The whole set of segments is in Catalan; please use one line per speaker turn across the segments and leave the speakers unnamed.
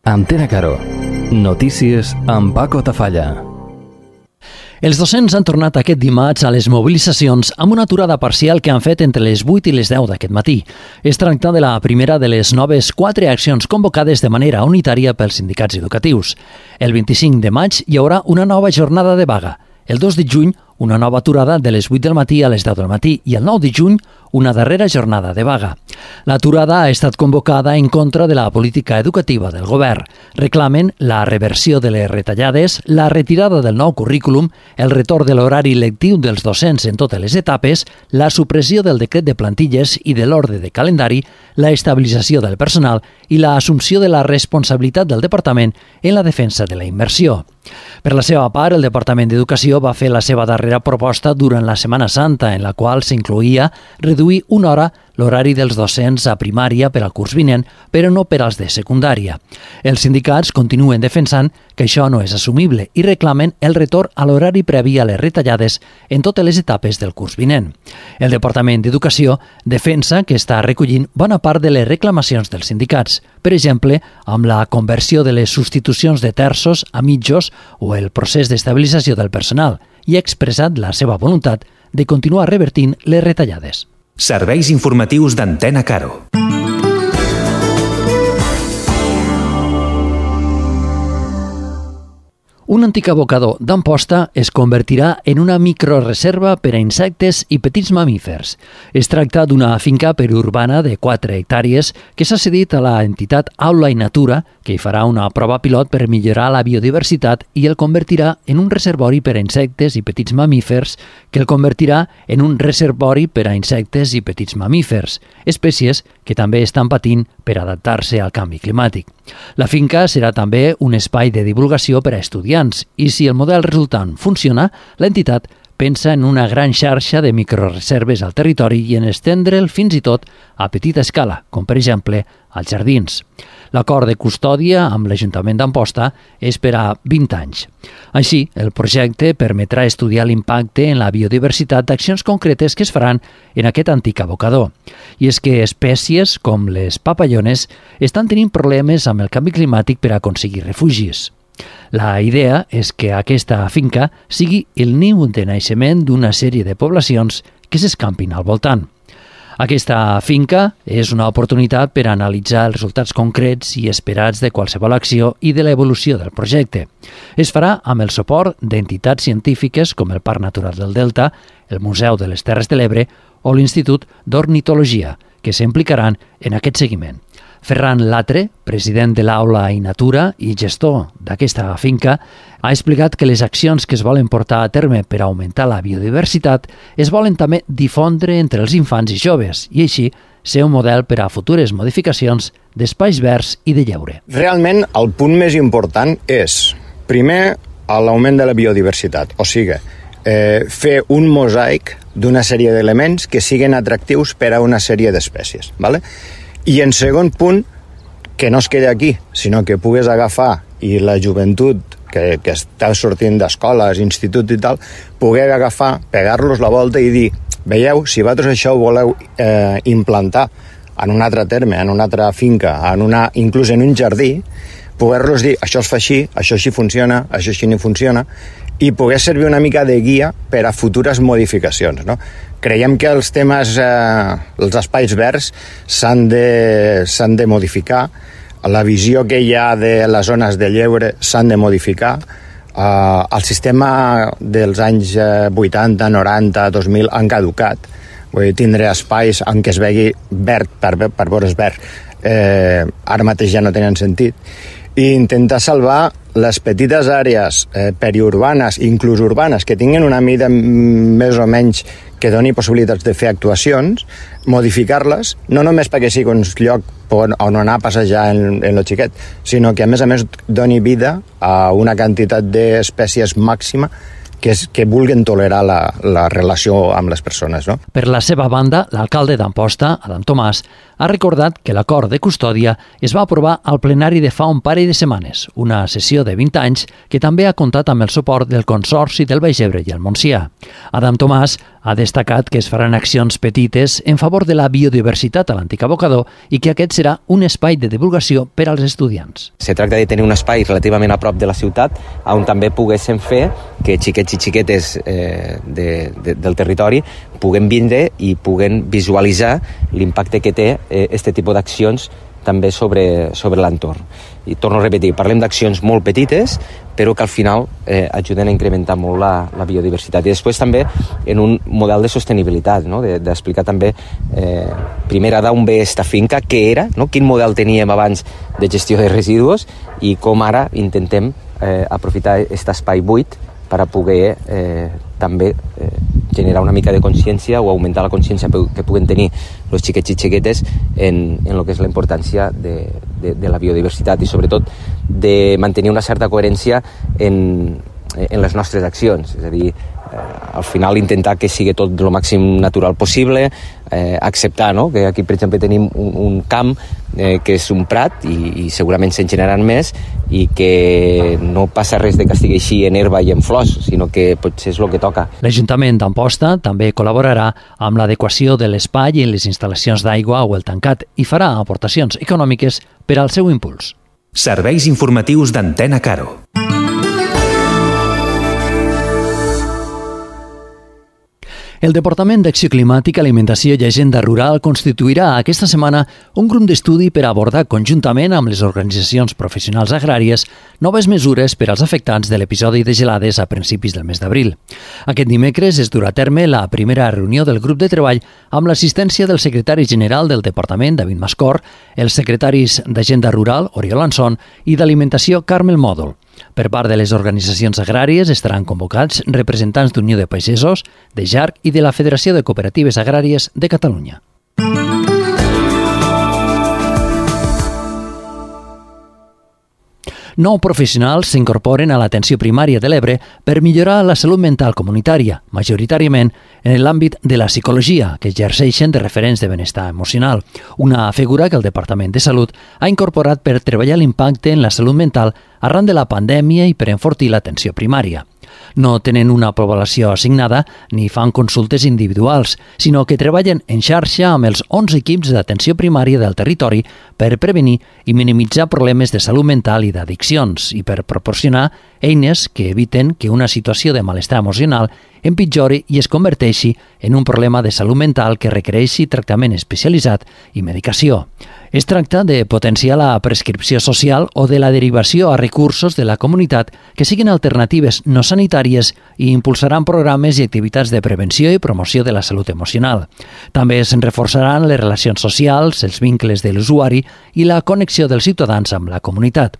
Antena Caro. Notícies amb Paco Tafalla.
Els docents han tornat aquest dimarts a les mobilitzacions amb una aturada parcial que han fet entre les 8 i les 10 d'aquest matí. Es tracta de la primera de les noves 4 accions convocades de manera unitària pels sindicats educatius. El 25 de maig hi haurà una nova jornada de vaga. El 2 de juny, una nova aturada de les 8 del matí a les 10 del matí i el 9 de juny, una darrera jornada de vaga. L'aturada ha estat convocada en contra de la política educativa del govern. Reclamen la reversió de les retallades, la retirada del nou currículum, el retorn de l'horari lectiu dels docents en totes les etapes, la supressió del decret de plantilles i de l'ordre de calendari, la estabilització del personal i l'assumpció de la responsabilitat del departament en la defensa de la immersió. Per la seva part, el Departament d'Educació va fer la seva darrera proposta durant la Setmana Santa, en la qual s'incloïa reduir una hora l'horari dels docents a primària per al curs vinent, però no per als de secundària. Els sindicats continuen defensant que això no és assumible i reclamen el retorn a l'horari previ a les retallades en totes les etapes del curs vinent. El Departament d'Educació defensa que està recollint bona part de les reclamacions dels sindicats, per exemple, amb la conversió de les substitucions de terços a mitjos o el procés d'estabilització del personal, i ha expressat la seva voluntat de continuar revertint les retallades.
Serveis informatius d'Antena Caro.
Un antic abocador d'Amposta es convertirà en una microreserva per a insectes i petits mamífers. Es tracta d'una finca periurbana de 4 hectàrees que s'ha cedit a la entitat Aula i Natura, que hi farà una prova pilot per millorar la biodiversitat i el convertirà en un reservori per a insectes i petits mamífers, que el convertirà en un reservori per a insectes i petits mamífers, espècies que també estan patint per adaptar-se al canvi climàtic. La finca serà també un espai de divulgació per a estudiants i si el model resultant funciona, l'entitat pensa en una gran xarxa de microreserves al territori i en estendre'l fins i tot a petita escala, com per exemple als jardins. L'acord de custòdia amb l'Ajuntament d'Amposta és per a 20 anys. Així, el projecte permetrà estudiar l'impacte en la biodiversitat d'accions concretes que es faran en aquest antic abocador. I és que espècies com les papallones estan tenint problemes amb el canvi climàtic per aconseguir refugis. La idea és que aquesta finca sigui el niu de naixement d'una sèrie de poblacions que s'escampin al voltant. Aquesta finca és una oportunitat per analitzar els resultats concrets i esperats de qualsevol acció i de l'evolució del projecte. Es farà amb el suport d'entitats científiques com el Parc Natural del Delta, el Museu de les Terres de l'Ebre o l'Institut d'Ornitologia, que s'implicaran en aquest seguiment. Ferran Latre, president de l'Aula i Natura i gestor d'aquesta finca, ha explicat que les accions que es volen portar a terme per augmentar la biodiversitat es volen també difondre entre els infants i joves i així ser un model per a futures modificacions d'espais verds i de lleure.
Realment el punt més important és, primer, l'augment de la biodiversitat, o sigui, fer un mosaic d'una sèrie d'elements que siguin atractius per a una sèrie d'espècies, ¿vale? I en segon punt, que no es quedi aquí, sinó que pugues agafar i la joventut que està sortint d'escoles, instituts i tal, poder agafar, pegar-los la volta i dir, veieu, si vosaltres això ho voleu implantar en un altre terme, en una altra finca, inclús en un jardí, poder-los dir, això es fa així, això així funciona, això així no funciona, i poder servir una mica de guia per a futures modificacions, no? Creiem que els temes, els espais verds s'han de modificar, la visió que hi ha de les zones de lleure s'han de modificar, el sistema dels anys 80, 90, 2000 han caducat, vull dir, tindre espais en què es vegi verd per veure's verd, ara mateix ja no tenen sentit, i intentar salvar les petites àrees periurbanes, inclús urbanes, que tinguin una mida més o menys que doni possibilitats de fer actuacions, modificar-les, no només perquè sigui un lloc on anar a passejar en lo xiquet, sinó que a més doni vida a una quantitat d'espècies màxima que vulguin tolerar la relació amb les persones. No?
Per la seva banda, l'alcalde d'Amposta, Adam Tomàs, ha recordat que l'acord de custòdia es va aprovar al plenari de fa un parell de setmanes, una sessió de 20 anys que també ha comptat amb el suport del Consorci del Baix Ebre i el Montsià. Adam Tomàs ha destacat que es faran accions petites en favor de la biodiversitat a l'antic abocador i que aquest serà un espai de divulgació per als estudiants.
Se tracta de tenir un espai relativament a prop de la ciutat on també poguéssim fer que xiquets i xiquetes del territori puguen vindre i puguen visualitzar l'impacte que té este tipus d'accions també sobre l'entorn. I torno a repetir, parlem d'accions molt petites, però que al final ajuden a incrementar molt la biodiversitat. I després també en un model de sostenibilitat, no? D'explicar també primer d'on ve esta finca, què era, no? Quin model teníem abans de gestió de residus i com ara intentem aprofitar aquest espai buit per a poder també generar una mica de consciència o augmentar la consciència que puguen tenir els xiquets i xiquetes en el que és la importància de la biodiversitat i sobretot de mantenir una certa coherència en les nostres accions. És a dir, al final intentar que sigui tot el màxim natural possible, acceptar, no? Que aquí, per exemple, tenim un camp que és un prat i segurament se'n generaran més i que no passa res de que estigui així en herba i en flors, sinó que potser és el que toca.
L'Ajuntament d'Amposta també col·laborarà amb l'adequació de l'espai i les instal·lacions d'aigua o el tancat i farà aportacions econòmiques per al seu impuls.
Serveis informatius d'Antena Caro.
El Departament d'Acció Climàtica, Alimentació i Agenda Rural constituirà aquesta setmana un grup d'estudi per abordar conjuntament amb les organitzacions professionals agràries noves mesures per als afectats de l'episodi de gelades a principis del mes d'abril. Aquest dimecres es durà a terme la primera reunió del grup de treball amb l'assistència del secretari general del Departament, David Mascor, els secretaris d'Agenda Rural, Oriol Anson, i d'Alimentació, Carmel Mòdol. Per part de les organitzacions agràries estaran convocats representants d'Unió de Pagesos, de JARC i de la Federació de Cooperatives Agràries de Catalunya. Nou professionals s'incorporen a l'atenció primària de l'Ebre per millorar la salut mental comunitària, majoritàriament en l'àmbit de la psicologia, que exerceixen de referents de benestar emocional, una figura que el Departament de Salut ha incorporat per treballar l'impacte en la salut mental arran de la pandèmia i per enfortir l'atenció primària. No tenen una població assignada ni fan consultes individuals, sinó que treballen en xarxa amb els 11 equips d'atenció primària del territori per prevenir i minimitzar problemes de salut mental i d'addiccions i per proporcionar eines que eviten que una situació de malestar emocional empitjori i es converteixi en un problema de salut mental que requereixi tractament especialitzat i medicació. Es tracta de potenciar la prescripció social o de la derivació a recursos de la comunitat que siguin alternatives no sanitàries i impulsaran programes i activitats de prevenció i promoció de la salut emocional. També se'n reforçaran les relacions socials, els vincles de l'usuari i la connexió dels ciutadans amb la comunitat.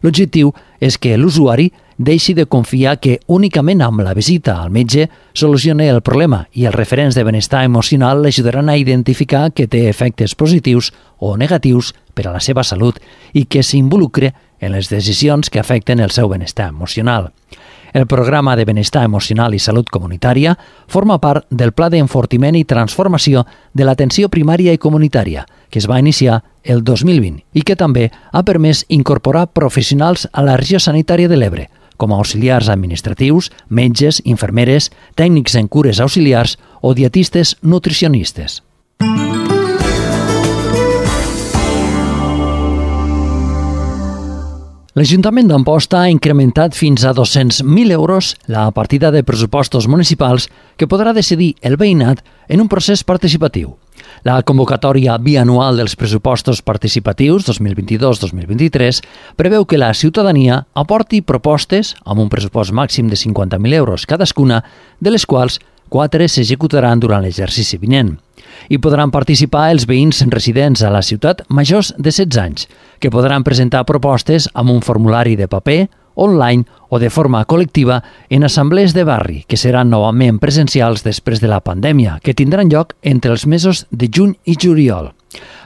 L'objectiu és que l'usuari deixi de confiar que únicament amb la visita al metge solucioni el problema i els referents de benestar emocional l'ajudaran a identificar que té efectes positius o negatius per a la seva salut i que s'involucre en les decisions que afecten el seu benestar emocional. El programa de benestar emocional i salut comunitària forma part del Pla d'Enfortiment i Transformació de l'Atenció Primària i Comunitària, que es va iniciar el 2020 i que també ha permès incorporar professionals a la regió sanitària de l'Ebre, com a auxiliars administratius, metges, infermeres, tècnics en cures auxiliars o dietistes nutricionistes. L'Ajuntament d'Amposta ha incrementat fins a 200.000 euros la partida de pressupostos municipals que podrà decidir el veïnat en un procés participatiu. La convocatòria bianual dels pressupostos participatius 2022-2023 preveu que la ciutadania aporti propostes amb un pressupost màxim de 50.000 euros cadascuna, de les quals 4 s'executaran durant l'exercici vinent. Hi podran participar els veïns residents a la ciutat majors de 16 anys, que podran presentar propostes amb un formulari de paper, online o de forma col·lectiva en assemblees de barri, que seran novament presencials després de la pandèmia, que tindran lloc entre els mesos de juny i juliol.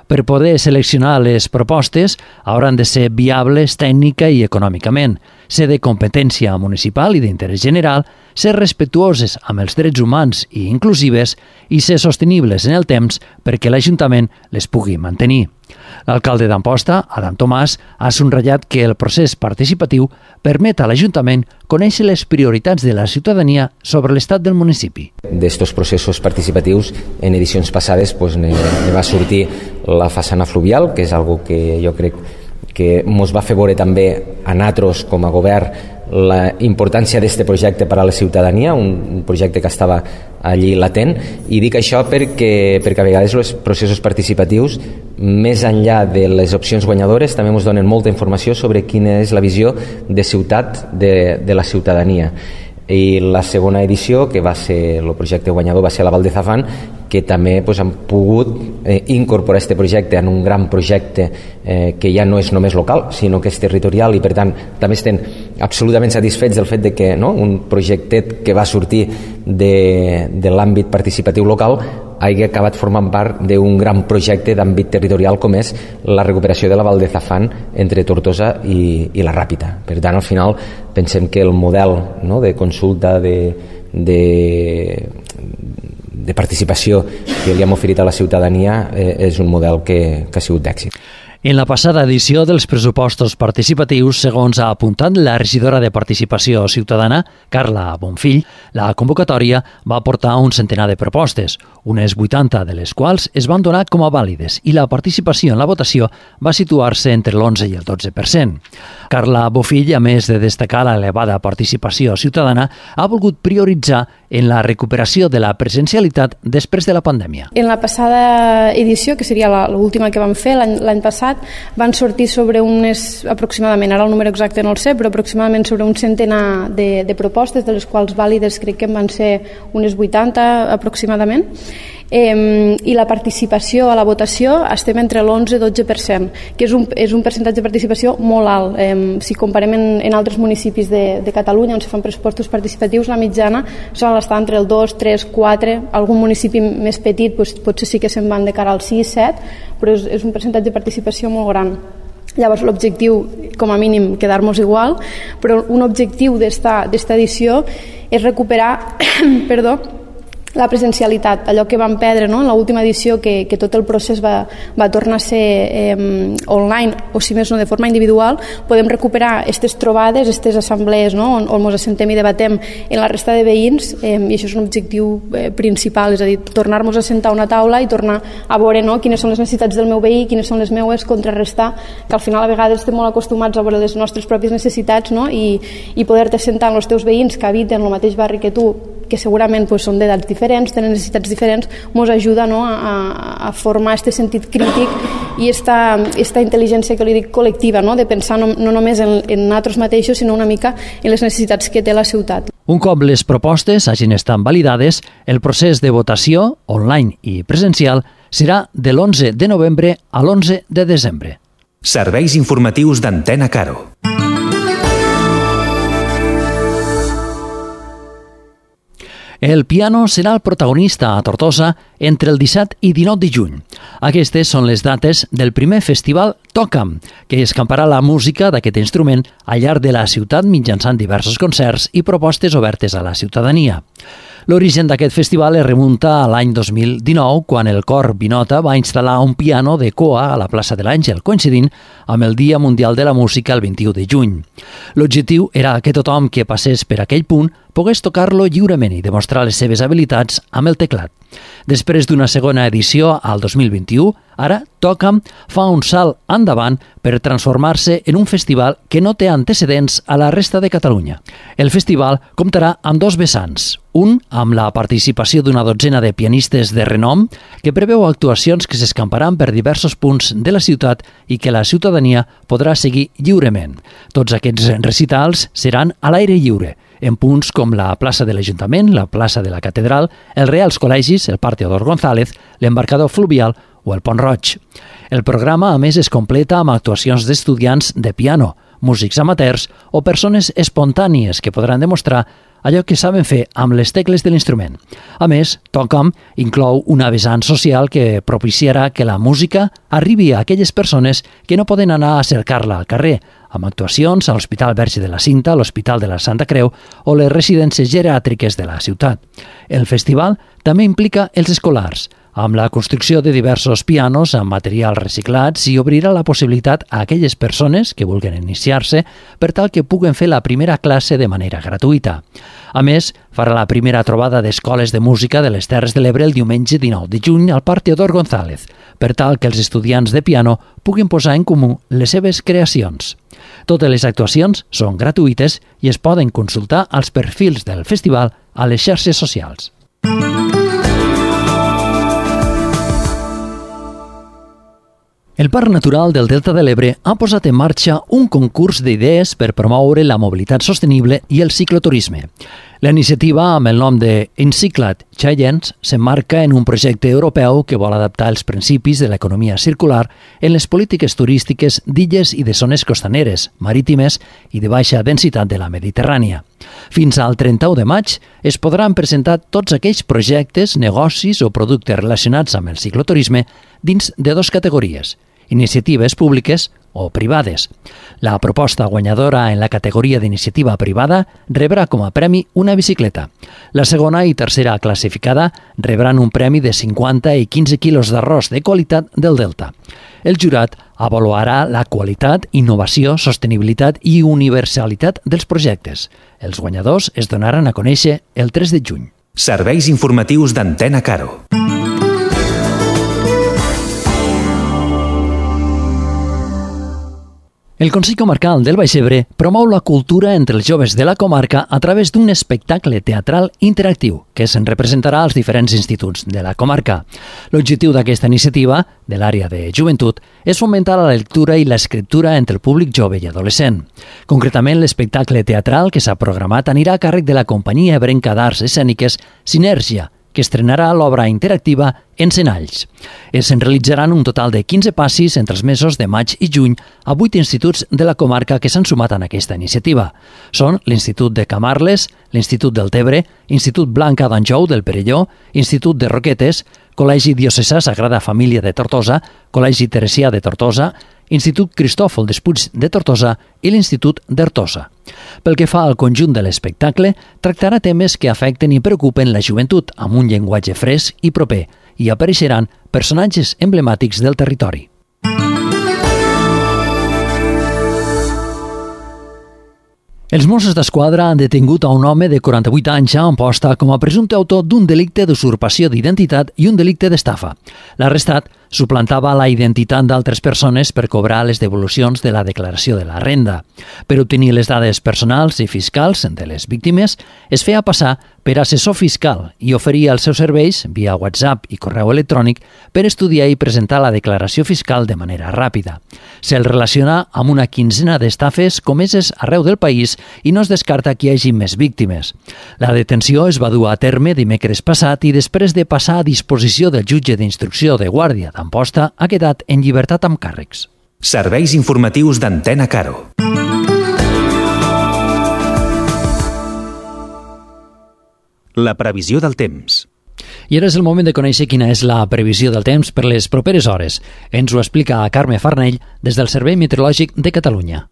Per poder seleccionar les propostes hauran de ser viables tècnica i econòmicament, ser de competència municipal i d'interès general, ser respectuoses amb els drets humans i inclusives i ser sostenibles en el temps perquè l'Ajuntament les pugui mantenir. L'alcalde d'Amposta, Adam Tomàs, ha subratllat que el procés participatiu permet a l'Ajuntament conèixer les prioritats de la ciutadania sobre l'estat del municipi.
D'estos processos participatius, en edicions passades ne va sortir la façana fluvial, que és algo que jo crec que ens va fer veure també a nosaltres com a govern la importància d'aquest projecte per a la ciutadania, un projecte que estava allí latent, i dic això perquè a vegades els processos participatius, més enllà de les opcions guanyadores, també ens donen molta informació sobre quina és la visió de ciutat de la ciutadania. I la segona edició, que va ser el projecte guanyador, va ser la Val de Zafán, que també han pogut incorporar aquest projecte en un gran projecte que ja no és només local, sinó que és territorial, i per tant també estem absolutament satisfets del fet de que un projecte que va sortir de l'àmbit participatiu local hagi acabat formant part d'un gran projecte d'àmbit territorial com és la recuperació de la Val de Zafán entre Tortosa i la Ràpita. Per tant, al final pensem que el model de consulta de participació que li hem oferit a la ciutadania és un model que ha sigut d'èxit.
En la passada edició dels pressupostos participatius, segons ha apuntat la regidora de Participació Ciutadana, Carla Bonfill, la convocatòria va aportar un centenar de propostes, unes 80 de les quals es van donar com a vàlides i la participació en la votació va situar-se entre l'11 i el 12%. Carla Bonfill, a més de destacar l'elevada participació ciutadana, ha volgut prioritzar en la recuperació de la presencialitat després de la pandèmia.
En la passada edició, que seria l'última que vam fer l'any passat, van sortir sobre aproximadament, ara el número exacte no el sé, però aproximadament sobre un centenar de propostes, de les quals vàlides crec que en van ser unes 80 aproximadament. I la participació a la votació estem entre l'11 i 12%, que és un percentatge de participació molt alt. Si comparem en altres municipis de Catalunya on se fan pressupostos participatius, la mitjana solen estar entre el 2, 3, 4, algun municipi més petit potser sí que se'n van de cara al 6, 7, però és un percentatge de participació molt gran. Llavors l'objectiu, com a mínim, quedar-nos igual, però un objectiu d'esta edició és recuperar la presencialitat, allò que vam perdre en l'última edició, que tot el procés va tornar a ser online, o si més no de forma individual. Podem recuperar aquestes trobades, aquestes assemblees on ens assentem i debatem en la resta de veïns, i això és un objectiu principal, és a dir, tornar-nos a sentar a una taula i tornar a veure quines són les necessitats del meu veí, quines són les meues, contrarrestar, que al final a vegades estem molt acostumats a veure les nostres pròpies necessitats, i poder-te sentar amb els teus veïns que habiten el mateix barri que tu, que segurament són d'edats diferents, tenen necessitats diferents, ens ajuda a formar aquest sentit crític i aquesta intel·ligència que li dic col·lectiva, de pensar no només en nosaltres mateixos, sinó una mica en les necessitats que té la ciutat.
Un cop les propostes hagin estat validades, el procés de votació, online i presencial, serà de l'11 de novembre a l'11 de desembre.
Serveis informatius d'Antena Caro.
El piano serà el protagonista a Tortosa entre el 17 i 19 de juny. Aquestes són les dates del primer festival Toca'm, que escamparà la música d'aquest instrument al llarg de la ciutat mitjançant diversos concerts i propostes obertes a la ciutadania. L'origen d'aquest festival es remunta a l'any 2019, quan el Cor Vinota va instal·lar un piano de coa a la plaça de l'Àngel, coincidint amb el Dia Mundial de la Música el 21 de juny. L'objectiu era que tothom que passés per aquell punt pogués tocar-lo lliurement i demostrar les seves habilitats amb el teclat. Després d'una segona edició al 2021, ara Toca'm fa un salt endavant per transformar-se en un festival que no té antecedents a la resta de Catalunya. El festival comptarà amb dos vessants, un amb la participació d'una dotzena de pianistes de renom, que preveu actuacions que s'escamparan per diversos punts de la ciutat i que la ciutadania podrà seguir lliurement. Tots aquests recitals seran a l'aire lliure, en punts com la plaça de l'Ajuntament, la plaça de la Catedral, els Reals Col·legis, el Parc Teodor González, l'embarcador fluvial o el Pont Roig. El programa, a més, es completa amb actuacions d'estudiants de piano, músics amateurs o persones espontànies que podran demostrar allò que saben fer amb les tecles de l'instrument. A més, Toca'm inclou una vessant social que propiciarà que la música arribi a aquelles persones que no poden anar a cercar-la al carrer, amb actuacions a l'Hospital Verge de la Cinta, l'Hospital de la Santa Creu o les residències geriàtriques de la ciutat. El festival també implica els escolars, amb la construcció de diversos pianos amb materials reciclats i obrirà la possibilitat a aquelles persones que vulguin iniciar-se per tal que puguen fer la primera classe de manera gratuïta. A més, farà la primera trobada d'escoles de música de les Terres de l'Ebre el diumenge 19 de juny al Parc Teodor González, per tal que els estudiants de piano puguin posar en comú les seves creacions. Totes les actuacions són gratuïtes i es poden consultar als perfils del festival a les xarxes socials. El Parc Natural del Delta de l'Ebre ha posat en marxa un concurs d'idees per promoure la mobilitat sostenible i el cicloturisme. La iniciativa, amb el nom de Encyclad Challenge, s'emmarca en un projecte europeu que vol adaptar els principis de l'economia circular en les polítiques turístiques d'illes i de zones costaneres, marítimes i de baixa densitat de la Mediterrània. Fins al 31 de maig es podran presentar tots aquells projectes, negocis o productes relacionats amb el cicloturisme dins de dues categories: iniciatives públiques o privades. La proposta guanyadora en la categoria d'iniciativa privada rebrà com a premi una bicicleta. La segona i tercera classificada rebran un premi de 50 i 15 quilos d'arròs de qualitat del Delta. El jurat avaluarà la qualitat, innovació, sostenibilitat i universalitat dels projectes. Els guanyadors es donaran a conèixer el 3 de juny.
Serveis informatius d'Antena Caro.
El Consell Comarcal del Baix Ebre promou la cultura entre els joves de la comarca a través d'un espectacle teatral interactiu que se'n representarà als diferents instituts de la comarca. L'objectiu d'aquesta iniciativa, de l'àrea de joventut, és fomentar la lectura i l'escriptura entre el públic jove i adolescent. Concretament, l'espectacle teatral que s'ha programat anirà a càrrec de la companyia ebrenca d'arts escèniques Sinergia, que estrenarà l'obra interactiva Encenalls. Se'n realitzaran un total de 15 passis entre els mesos de maig i juny a 8 instituts de la comarca que s'han sumat en aquesta iniciativa. Són l'Institut de Camarles, l'Institut del Tebre, Institut Blanca d'Anjou del Perelló, Institut de Roquetes, Col·legi Diocesà Sagrada Família de Tortosa, Col·legi Teresià de Tortosa, Institut Cristòfol Despuig de Tortosa i l'Institut d'Artosa. Pel que fa al conjunt de l'espectacle, tractarà temes que afecten i preocupen la joventut amb un llenguatge fresc i proper i apareixeran personatges emblemàtics del territori. Els Mossos d'Esquadra han detingut a un home de 48 anys a Amposta com a presumpte autor d'un delicte d'usurpació d'identitat i un delicte d'estafa. L'arrestat suplantava la identitat d'altres persones per cobrar les devolucions de la declaració de la renda. Per obtenir les dades personals i fiscals de les víctimes, es feia passar per assessor fiscal i oferia els seus serveis, via WhatsApp i correu electrònic, per estudiar i presentar la declaració fiscal de manera ràpida. Se'l relaciona amb una quinzena d'estafes comeses arreu del país i no es descarta que hi hagi més víctimes. La detenció es va dur a terme dimecres passat i després de passar a disposició del jutge d'instrucció de Guàrdia d'Amposta ha quedat en llibertat amb càrrecs.
Serveis informatius d'Antena Caro. La previsió del temps.
I ara és el moment de conèixer quina és la previsió del temps per les properes hores. Ens ho explica Carme Farnell des del Servei Meteorològic de Catalunya.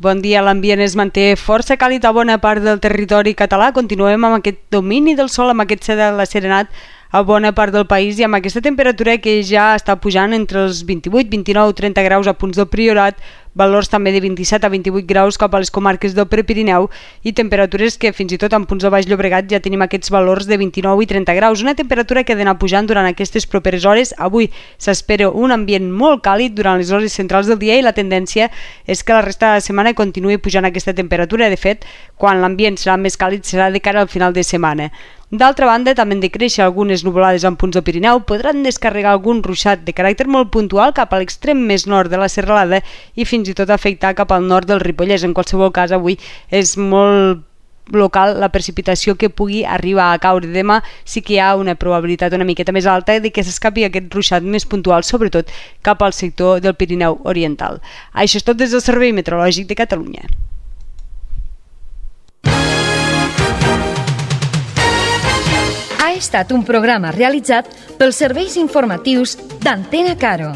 Bon dia, l'ambient es manté força càlid a bona part del territori català. Continuem amb aquest domini del sol, amb aquest cel asserenat a bona part del país i amb aquesta temperatura que ja està pujant entre els 28, 29, 30 graus a punts del Priorat, valors també de 27 a 28 graus cap a les comarques del Prepirineu i temperatures que fins i tot en punts de Baix Llobregat ja tenim aquests valors de 29 i 30 graus. Una temperatura que ha d'anar pujant durant aquestes properes hores. Avui s'espera un ambient molt càlid durant les hores centrals del dia i la tendència és que la resta de la setmana continuï pujant aquesta temperatura. De fet, quan l'ambient serà més càlid serà de cara al final de setmana. D'altra banda, també han de créixer algunes nuvolades en punts del Pirineu, podran descarregar algun ruixat de caràcter molt puntual cap a l'extrem més nord de la serralada i fins i tot afectar cap al nord del Ripollès. En qualsevol cas, avui és molt local la precipitació que pugui arribar a caure. Demà sí que hi ha una probabilitat una miqueta més alta de que s'escapi aquest ruixat més puntual, sobretot cap al sector del Pirineu Oriental. Això és tot des del Servei Meteorològic de Catalunya.
Ha estat un programa realitzat pels serveis informatius d'Antena Caro.